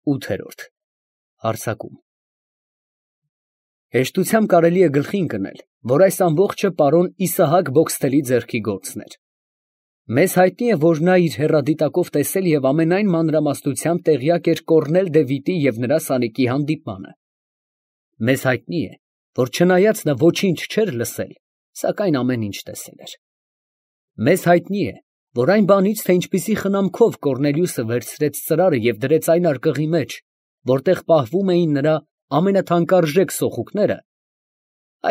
8-րդ Հարձակում Հեշտությամբ կարելի է գլխի ընկնել, որ այս ամբողջը պարոն Իսահակ Բոքսթելի ձեռքի գործն էր։ Մեզ հայտնի է, որ նա իր հեռադիտակով տեսել և ամենայն մանրամասնությամբ տեղյակ էր Կոռնել Դևիթի և նրա սանիկի հանդիպմանը։ Մեզ հայտնի է, որ չնայած նա ոչինչ չէր լսել, սակայն ամեն ինչ տեսել էր։ Մեզ հայտնի է, որ այն բանից, թե ինչպիսի խնամքով Կոռնելիուսը վերցրեց ծրարը և դրեց այն արկղի մեջ, որտեղ պահվում էին նրա ամենաթանկարժեք սոխուկները,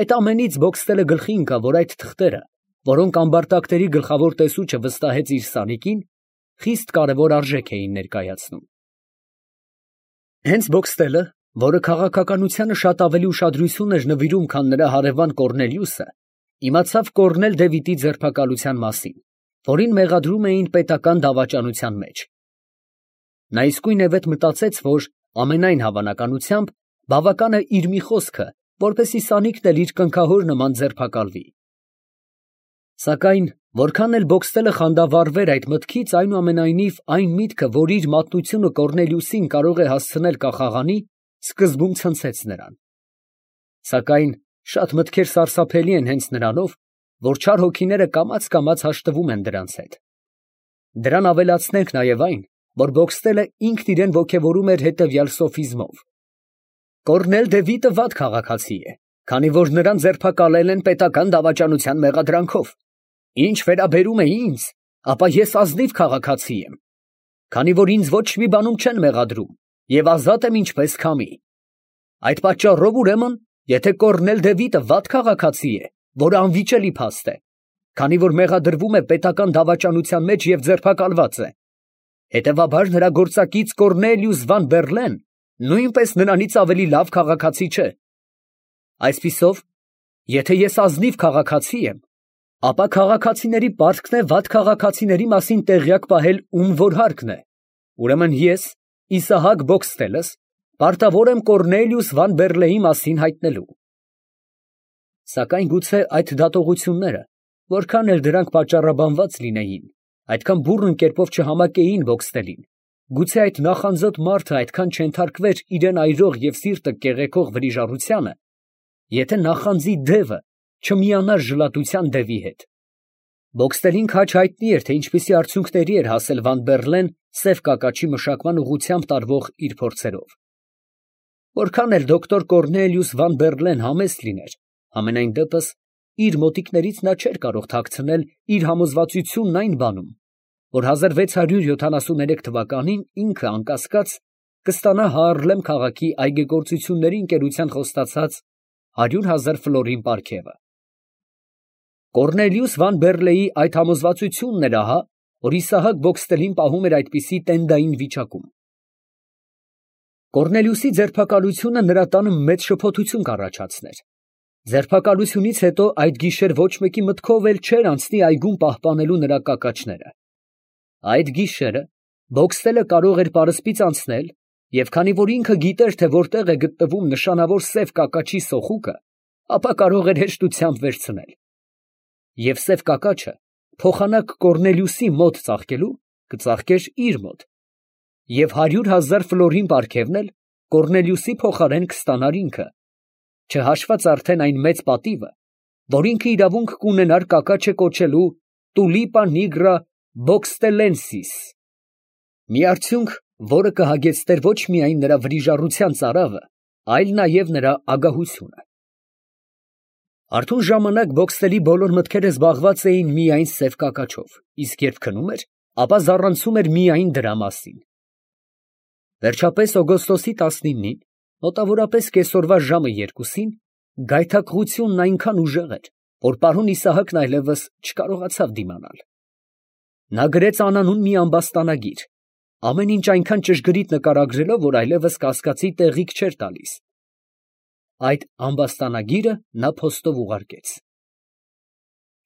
այդ ամենից Բոքսթելը գլխի ընկավ, որ այդ թղթերը, որոնք ամբարտակների գլխավոր տեսուչը վստահեց իր սանիկին, խիստ կարևոր արժեք էին ներկայացնում։ Հենց Բոքսթելը, որը քաղաքականությանը շատ ավելի ուշադրություն էր նվիրում, քան նրա հարևան Կոռնելիուսը, իմացավ Կոռնել Դևիթի ձերբակալության մասին, որին մեղադրում էին պետական դավաճանության մեջ։ Նա իսկույնևեթ մտածեց, որ ամենայն հավանականությամբ բավական է իր մի խոսքը, որպեսզի սանիկն էլ իր կնքահոր նման ձերբակալվի։ Սակայն որքան էլ Բոքսթելը խանդավառվեր այդ մտքից, այնուամենայնիվ այն միտքը, որ իր մատնությունը Կոռնելիուսին կարող է հասցնել կախաղանի, սկզբում ցնցեց նրան։ Սակայն շատ մտքեր սարսափելի են հենց նրանով, որ չար հոգիները կամաց հաշտվում են դրանց հետ։ Դրան ավելացնենք նաև այն, որ Բոքսթելը ինքն իրեն ոգևորում էր հետևյալ սոֆիզմով. Կոռնել Դևիթը վատ քաղաքացի է, քանի որ նրան ձերբակալել են պետական դավաճանության մեղադրանքով։ Ինչ վերաբերում է ինձ, ապա ես ազնիվ քաղաքացի եմ, քանի որ ինձ ոչ մի բանում չեն մեղադրում և ազատ եմ ինչպես քամի։ Այդ պատճառով ուրեմն, եթե Կոռնել Դևիթը վատ քաղաքացի է, որը անվիճելի փաստ է, քանի որ մեղադրվում է պետական դավաճանության մեջ և ձերբակալված է, հետևաբար նրա գործակից Կոռնելիուս Վան Բեռլեն նույնպես նրանից ավելի լավ քաղաքացի չէ։ Այսպիսով, եթե ես ազնիվ քաղաքացի եմ, ապա քաղաքացիների պարտքն է վատ քաղաքացիների մասին տեղյակ պահել, ում որ հարկն է։ Ուրեմն ես, Իսահակ Բոքսթելս, պարտավոր եմ Կոռնելիուս Վան Բեռլեի մասին հայտնելու։ Սակայն գուցե այդ դատողությունները, որքան էլ դրանք պատճառաբանված լինեին, այդքան բուռն կերպով չհամակեին Բոքսթելին, գուցե այդ նախանձոտ մարդը այդքան չենթարկվեր իրան այրող և սիրտը կեղեքող վրիժառությանը, եթե նախանձի դևը չմիանար ժլատության դևի հետ։ Բոքսթելին քաջ հայտնի էր, թե ինչպիսի արդյունքների էր հասել Վան Բեռլեն սև կակաչի մշակման ուղղությամբ տարվող իր փորձերով։ Որքան էլ դոկտոր Կոռնելիուս Վան Բեռլեն համեստ լիներ, համենայն դեպս իր մոտիկներից նա չէր կարող թաքցնել իր համոզվածությունն այն բանում, որ 1673 թվականին ինքը անկասկած կստանա Հայրլեմ քաղաքի այգեգործությունների ընկերության խոստացած 100,000 ֆլորին պարգևը։ Կոռնելիուս Վան Բեռլեի այդ համոզվածությունն էր ահա, որ Իսահակ Բոքսթելին պահում էր այդպիսի տենդային վիճակում։ Կոռնելիուսի ձերբակալությունը նրա տանը մեծ շփոթություն կառաջացներ։ Ձերբակալությունից հետո այդ գիշեր ոչ մեկի մտքով էլ չէր անցնի այգում պահպանելու նրա կակաչները։ Այդ գիշերը Բոքսթելը կարող էր պարսպից անցնել, և քանի որ ինքը գիտեր, թե որտեղ է գտնվում նշանավոր սև կակաչի սոխուկը, ապա կարող էր հեշտությամբ վերցնել։ Եվ սև կակաչը փոխանակ Կոռնելիուսի մոտ ծաղկելու, կծաղկեր իր մոտ, և 100,000 ֆլորին պարգևն էլ Կոռնելիուսի փոխարեն կստանար ինքը, չհաշված արդեն այն մեծ պատիվը, որ ինքը իրավունք կունենար կակաչը կոչելու Տուլիպա նիգրա Բոքստելենսիս, մի արդյունք, որը կհագեցներ ոչ միայն նրա վրիժառության ծարավը, այլ նաև նրա ագահությունը։ Արթուն ժամանակ Բոքսթելի բոլոր մտքերը զբաղված էին միայն սև կակաչով, իսկ երբ քնում էր, ապա զառանցում էր միայն դրա մասին։ Վերջապես օգոստոսի 19-ին, մոտավորապես կեսօրվա ժամը 2-ին, գայթակղությունն այնքան ուժեղ էր, որ պարոն Իսահակն այլևս չկարողացավ դիմանալ։ Նա գրեց անանուն մի ամբաստանագիր, ամեն ինչ այնքան ճշգրիտ նկարագրելով, որ այլևս կասկածի տեղիք չէր տալիս։ Այդ ամբաստանագիրը նա փոստով ուղարկեց։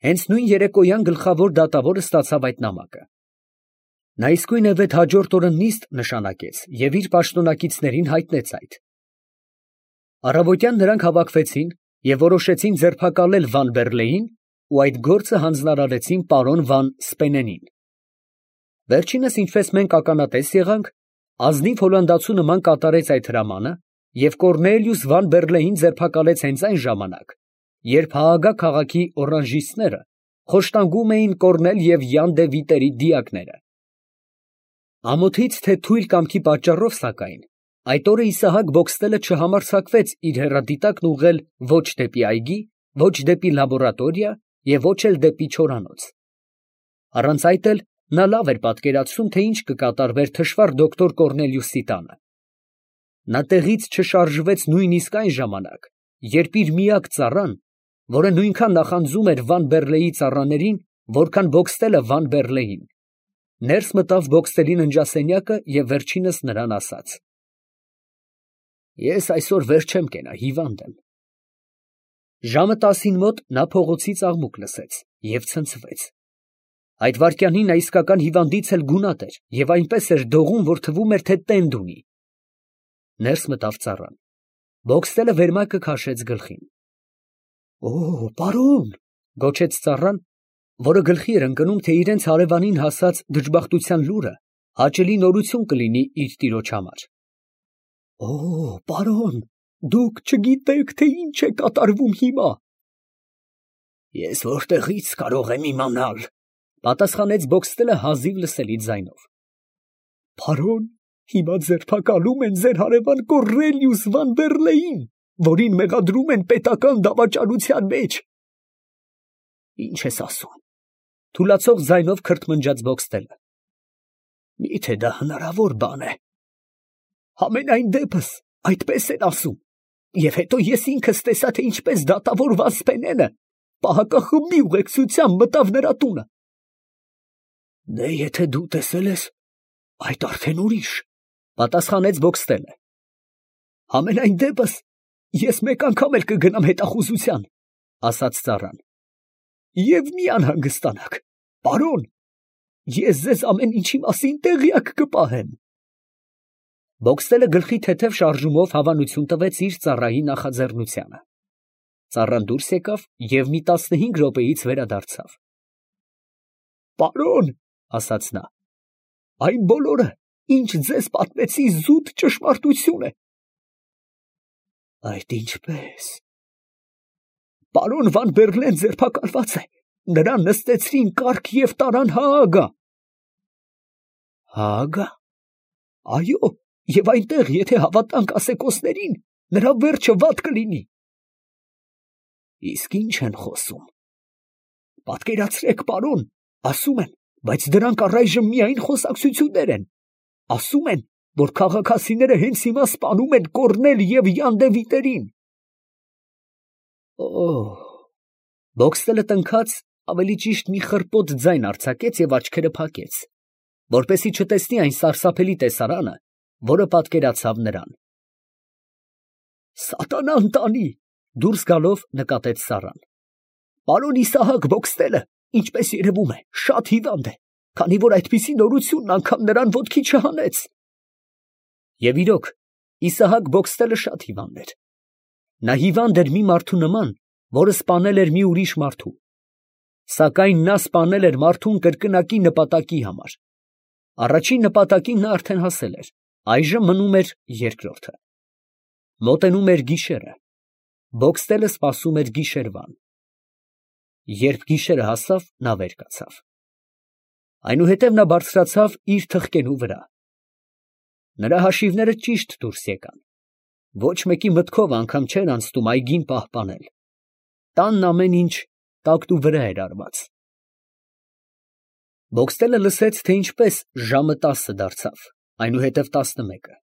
Հենց նույն երեկոյան գլխավոր դատավորը ստացավ այդ նամակը։ Նա իսկույնևեթ հաջորդ օրը նիստ նշանակեց և իր պաշտոնակիցներին հայտնեց այդ։ Առավոտյան նրանք հավաքվեցին և որոշեցին ձերբակալել Վան Բեռլեին ու այդ գործը հանձնարարեցին պարոն Վան Սպենենին։ Վերջինս, ինչպես մենք ականատես եղանք, Ազնիվ հոլանդացու նման կատարեց այդ հրամանը և Կոռնելիուս Վան Բերլեին ձերբակալեց հենց այն ժամանակ, երբ Հաագա քաղաքի օրանժիստները խոշտանգում էին Կոռնել և Յան դե Վիտերի դիակները։ Ամոթից թե թույլ կամքի պատճառով, սակայն, այդ օրը Իսահակ Բոքստելը չհամարձակվեց իր հեռադիտակն ուղղել ոչ դեպի այգի, ոչ դեպի լաբորատորիա և ոչ էլ դեպի չորանոց։ Առանց այդ էլ նա լավ էր պատկերացնում, թե ինչ կկատարվեր թշվառ դոկտոր Կոռնելիուսի տանը։ Նա տեղից չշարժվեց նույնիսկ այն ժամանակ, երբ իր միակ ծառան, որը նույնքան նախանձում էր Վան Բերլեի ծառաներին, որքան Բոքստելը Վան Բերլեին, ներս մտավ Բոքստելի ննջասենյակը և վերջինս նրան ասաց. «Ես այսօր վեր չեմ կենա, հիվանդ եմ»։ Ժամը 10-ին մոտ նա փողոցից աղմուկ լսեց և ցնցվեց։ Այդ վայրկյանին նա իսկական հիվանդից էլ գունատ էր և այնպես էր դողում, որ թվում էր, թե տենդ ունի։ Ներս մտավ ծառան։ Բոքստելը վերմակը քաշեց գլխին։ Պարոն, գոչեց ծառան, որը գլխի էր ընկնում, թե իրենց հարևանին հասած դժբախտության լուրը հաճելի նորություն կլինի իր տիրոջ համար։ Պարոն, դուք չգիտեք, թե ինչ է կատարվում հիմա։ Ես որտեղից կարող եմ իմանալ, պատասխանեց Բոքստելը հազիվ լսելի ձայնով։ Պարոն, հիմա ձերբակալում են ձեր հարևան Կոռնելիուս Վան Բերլեին, որին մեղադրում են պետական դավաճանության մեջ։ Ինչ ես ասում, թուլացող ձայնով քրթմնջաց Բոքստելը։ Միթե դա հնարավոր բան է։ Համենայն դեպս այդպես են ասում, և հետո ես ինքս տեսա, թե ինչպես դատավորված Սպենենը պահակախմբի ուղեկցությամբ մտավ նրա տունը։ Դե եթե դու տեսել ես, այդ արդեն ուրիշ, պատասխանեց Բոքստելը։ Համենայն դեպս ես մեկ անգամ էլ կգնամ հետախուզության, ասաց ծառան։ Եվ մի անհանգստանաք, պարոն, ես ձեզ ամեն ինչի մասին տեղյակ կպահեմ։ Բոքստելը գլխի թեթև շարժումով հավանություն տվեց իր ծառայի նախաձեռնությանը։ Ծառան դուրս եկավ և մի 15 րոպեից վերադարձավ։ Պարոն, ասաց նա, այն բոլորը, ինչ ձեզ պատմեցի, զուտ ճշմարտություն է։ Այդ ինչպես։ Պարոն Վան Բերլեն ձերբակալված է, նրան նստեցրին կառք և տարան Հաագա։ Հաագա։ Այո, և այնտեղ, եթե հավատանք ասեկոսներին, նրա վերջը վատ կլինի։ Իսկ ինչ են խոսում։ Պատկերացրեք, պարոն, ասում են, բայց դրանք առայժմ միայն խոսակցություններ են։ Ասում են, որ քաղաքացիները հենց հիմա սպանում են Կոռնել և Յան դե Վիտերին։ Բոքստելը տնքաց, ավելի ճիշտ մի խռպոտ ձայն արձակեց և աչքերը փակեց, որպեսզի չտեսնի այն սարսափելի տեսարանը, որը պատկերացավ նրան։ Սատանան տանի, դուրս գալով նկատեց ծառան։ Պարոն Իսահակ Բոքստելը, ինչպես երևում է, շատ հիվանդ է, քանի որ այդպիսի նորությունն անգամ նրան ոտքի չհանեց։ Եվ իրոք, Իսահակ Բոքստելը շատ հիվանդ էր։ Նա հիվանդ էր մի մարդու նման, որը սպանել էր մի ուրիշ մարդու։ Սակայն նա սպանել էր մարդուն կրկնակի նպատակի համար։ Առաջին նպատակին նա արդեն հասել էր, այժմ մնում էր երկրորդը։ Մոտենում էր գիշերը։ Բոքստելը սպասում էր գիշերվան։ Երբ գիշերը հասավ, նա վեր կացավ։ Այնուհետև նա բարձրացավ իր թխկենու վրա։ Նրա հաշիվները ճիշտ դուրս եկան։ Ոչ մեկի մտքով անգամ չէր անցնում այգին պահպանել։ Տանն ամեն ինչ տակտու վրա էր արված։ Բոքստելը լսեց, թե ինչպես ժամը 10 դարձավ, այնուհետև 11,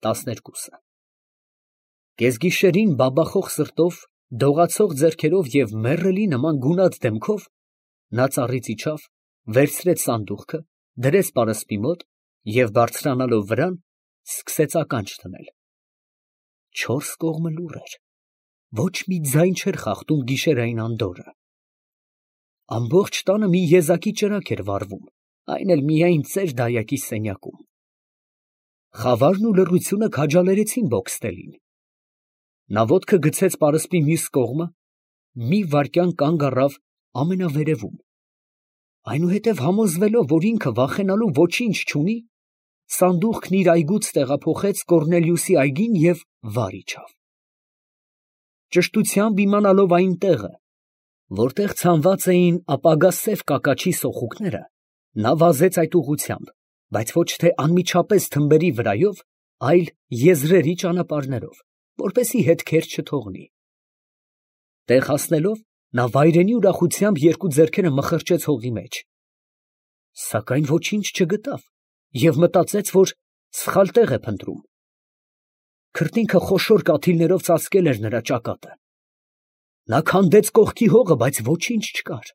12։ Կեսգիշերին բաբախող սրտով, դողացող ձեռքերով և մեռելի նման գունատ դեմքով նա ծառից իջավ, վերցրեց սանդուղքը, դրեց պարսպի մոտ և բարձրանալով վրան, սկսեց ականջ դնել։ Չորս կողմը լուռ էր, ոչ մի ձայն չէր խախտում գիշերային անդորրը։ Ամբողջ տանը մի եզակի ճրագ էր վառվում, այն էլ միայն ծեր դայակի սենյակում։ Խավարն ու լռությունը քաջալերեցին Բոքստելին։ Նա ոտքը գցեց պարսպի մյուս կողմը, մի վայրկյան կանգ առավ ամենավերևում, այնուհետև համոզվելով, որ ինքը վախենալու ոչինչ չունի, սանդուղքն իր այգուց տեղափոխեց Կոռնելիուսի այգին և վար իջավ։ Ճշտությամբ իմանալով այն տեղը, որտեղ ցանված էին ապագա սև կակաչի սոխուկները, նա վազեց այդ ուղղությամբ, բայց ոչ թե անմիջապես թմբերի վրայով, այլ եզրերի ճանապարհներով, որպեսզի հետքեր չթողնի։ Տեղ հասնելով, նա վայրենի ուրախությամբ երկու ձեռքերը մխրճեց հողի մեջ, սակայն ոչինչ չգտավ և մտածեց, որ սխալ տեղ է փնտրում։ Քրտինքը խոշոր կաթիլներով ծածկել էր նրա ճակատը։ Նա քանդեց կողքի հողը, բայց ոչինչ չկար։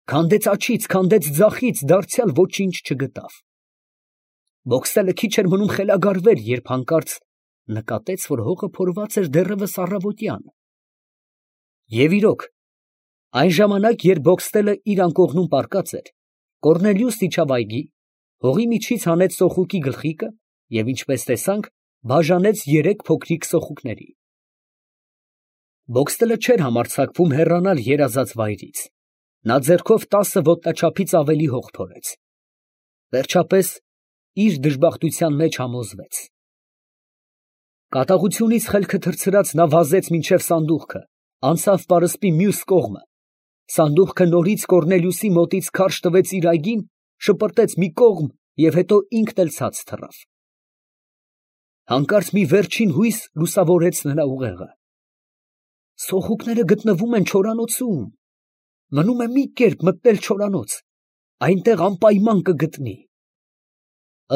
Քանդեց աջից, քանդեց ձախից, դարձյալ ոչինչ չգտավ։ Բոքսելը քիչ էր մնում խելագարվեր, երբ հանկարծ նկատեց, որ հողը փորված էր դեռևս առավոտյան։ Եվ իրոք, այն ժամանակ, երբ Բոքստելը իր անկողնում պառկած էր, Կոռնելիուսն իջավ այգի, հողի միջից հանեց սոխուկի գլխիկը և, ինչպես տեսանք, բաժանեց 3 փոքրիկ սոխուկների։ Բոքստելը չէր համարձակվում հեռանալ երազած վայրից։ Նա ձեռքով 10 ոտնաչափից ավելի հող փորեց։ Վերջապես իր դժբախտության մեջ համոզվեց։ Կատաղությունից խելքը թռցրած նա վազեց մինչև սանդուղքը, անցավ պարսպի մյուս կողմը։ Սանդուղքը նորից Կոռնելիուսի մոտից քարշ տվեց իր այգին, շպրտեց մի կողմ և հետո ինքն էլ ցած թռավ։ Հանկարծ մի վերջին հույս լուսավորեց նրա ուղեղը։ Սոխուկները գտնվում են չորանոցում։ Մնում է մի կերպ մտնել չորանոց, այնտեղ անպայման կգտնի։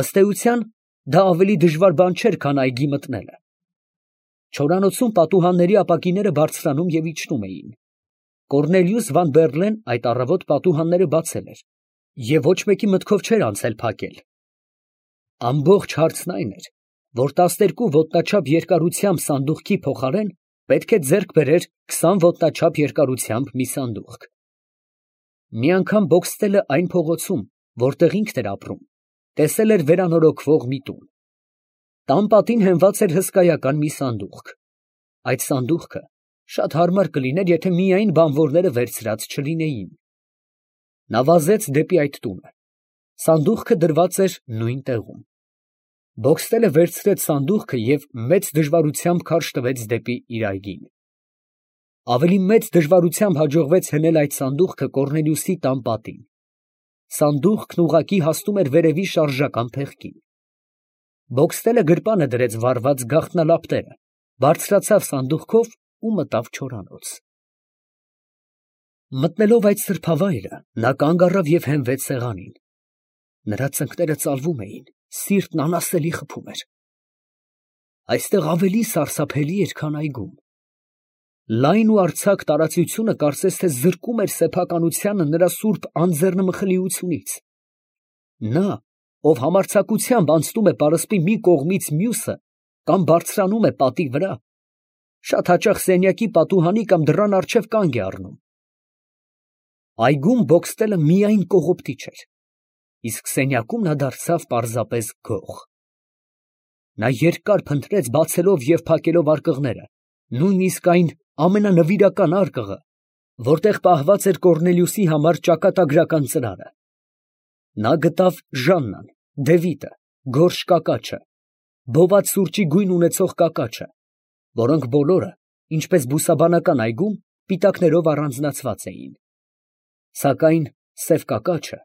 Ըստ էության, դա ավելի դժվար բան չէր, քան այգի մտնելը։ Չորանոցում պատուհանների ապակիները բարձրանում և իջնում էին։ Կոռնելիուս Վան Բեռլեն այդ առավոտ պատուհանները բացել էր և ոչ մեկի մտքով չէր անցել փակել։ Ամբողջ հարցն այն էր, որ 12 ոտնաչափ երկարությամբ սանդուղքի փոխարեն պետք է ձեռք բերեր 20 ոտնաչափ երկարությամբ մի սանդուղք։ Մի անգամ Բոքստելը այն փողոցում, որտեղ ինքն էր ապրում, տեսել էր վերանորոգվող մի տուն։ Տան պատին հենված էր հսկայական մի սանդուղք։ Այդ սանդուղքը շատ հարմար կլիներ, եթե միայն բանվորները վերցրած չլինեին։ Նա վազեց դեպի այդ տունը։ Սանդուղքը դրված էր նույն տեղում։ Բոքստելը վերցրեց սանդուղքը և մեծ դժվարությամբ քարշ տվեց դեպի իր այգին։ Ավելի մեծ դժվարությամբ հաջողվեց հնել այդ սանդուղքը Կոռնելիուսի տան պատին։ Սանդուղքն ուղղակի հասնում էր վերևի շարժական փեղկին։ Բոքստելը գրպանը դրեց վառված գաղտնալապտերը, բարձրացավ սանդուղքով ու մտավ չորանոց։ Մտնելով այդ սրբավայրը, նա կանգ առավ և հենվեց սեղանին։ Նրա ծնկները ծալվում էին, սիրտն անասելի խփում էր։ Այստեղ ավելի սարսափելի էր, քան այգում։ Լայն ու արձակ տարածությունը կարծես թե զրկում էր սեփականությանը նրա սուրբ անձեռնմխլիությունից։ Նա, ով համարձակությամբ անցնում է պարսպի մի կողմից մյուսը կամ բարձրանում է պատի վրա, շատ հաճախ սենյակի պատուհանի կամ դռան առջև կանգ է առնում։ Այգում Բոքստելը միայն կողոպտիչ էր, իսկ սենյակում նա դարձավ պարզապես գող։ Նա երկար փնտրեց բացելով և փակելով արկղները, նույնիսկ այն ամենանվիրական արկղը, որտեղ պահված էր Կոռնելիուսի համար ճակատագրական ծրարը։ Նա գտավ Ժաննան, Դևիտը, գորշ կակաչը, բոված սուրճի գույն ունեցող կակաչը, որոնք բոլորը, ինչպես բուսաբանական այգում, պիտակներով առանձնացված էին։ Սակայն սև կակաչը,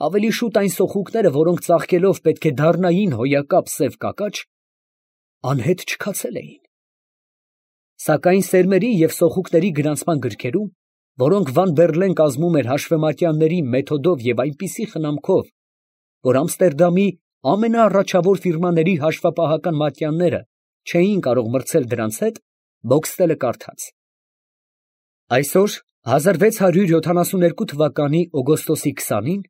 ավելի շուտ այն սոխուկները, որոնք ծաղկելով պետք է դառնային հոյակապ սև կակաչ, անհետ չքացել էին։ Սակայն սերմերի և սոխուկների գրանցման գրքերում, որոնք Վան Բեռլեն կազմում էր հաշվեմատյանների մեթոդով և այնպիսի խնամքով, որ Ամստերդամի ամենաառաջավոր ֆիրմաների հաշվապահական մատյանները չէին կարող մրցել դրանց հետ, Բոքստելը կարդաց. այսօր 1672 թվականի օգոստոսի 20-ին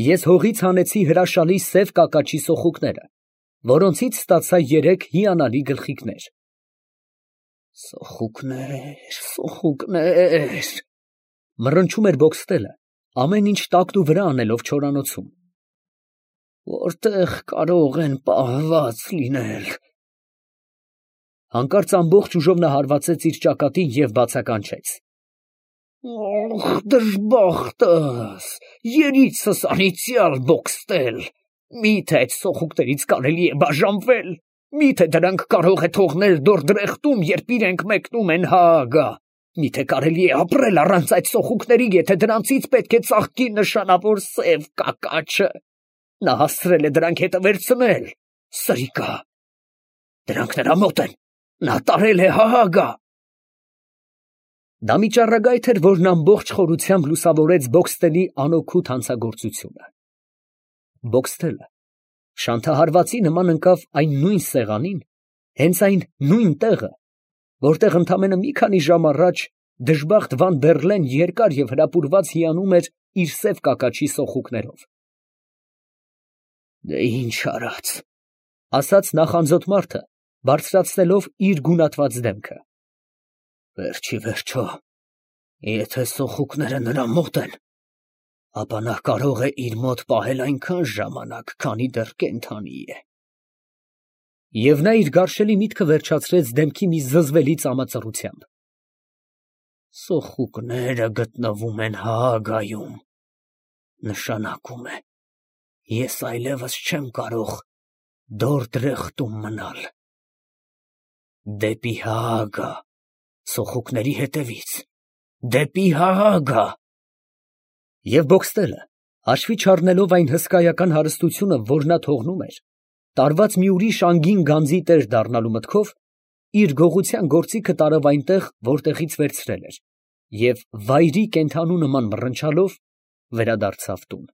ես հողից հանեցի հրաշալի սև կակաչի սոխուկները, որոնցից ստացա 3 հիանալի գլխիկներ։ Սոխուկներ, սոխուկներ, մռնչում էր Բոքստելը, ամեն ինչ տակն ու վրա անելով չորանոցում։ Որտեղ կարող են պահված լինել։ Հանկարծ ամբողջ ուժով նա հարվածեց իր ճակատին և բացականչեց. Ох, դժբախտս, երիցս անիծյալ Բոքստել, Միթե այդ սոխուկներից կարելի է բաժանվել, միթե դրանք կարող է թողնել դորդրեխտում, երբ իրենք մեկնում են Հաագա, միթե կարելի է ապրել առանց այդ սոխուկների, եթե դրանցից պետք է ծաղկի նշանավոր սև կակաչը, նա հասցրել է դրանք հետը վերցնել, սրիկա, դրանք նրա մոտ են, նա տարել է Հաագա։ Դա մի ճառագայթ էր, որն ամբողջ խորությամբ լուսավորեց Բոքստելի անօգուտ հանցագործությունը։ Բոքստելը շանթահարվածի նման ընկավ այն նույն սեղանին, հենց այն նույն տեղը, որտեղ ընդամենը մի քանի ժամ առաջ դժբախտ Վան Բեռլեն երկար և հրապուրված հիանում էր իր սև կակաչի սոխուկներով։ «Դե ինչ արած», ֊ ասաց նախանձոտ մարդը, բարձրացնելով իր գունատված դեմքը։ «Վերջի վերջո, եթե սոխուկները նրա մոտ են, ապա նա կարող է իր մոտ պահել այնքան ժամանակ, քանի դեռ կենդանի է»։ Եվ նա իր գարշելի միտքը վերջացրեց դեմքի մի զզվելի ծամածռությամբ։ «Սոխուկները գտնվում են Հաագայում, նշանակում է, ես այլևս չեմ կարող Դորդրեխտում մնալ։ Դեպի Հաագա, սոխուկների հետևից, դեպի Հաագա»։ Եվ Բոքստելը, հաշվի չառնելով այն հսկայական հարստությունը, որ նա թողնում էր, տարված մի ուրիշ անգին գանձի տեր դառնալու մտքով, իր գողության գործիքը տարավ այնտեղ, որտեղից վերցրել էր, և վայրի կենդանու նման մռնչալով վերադարձավ տուն։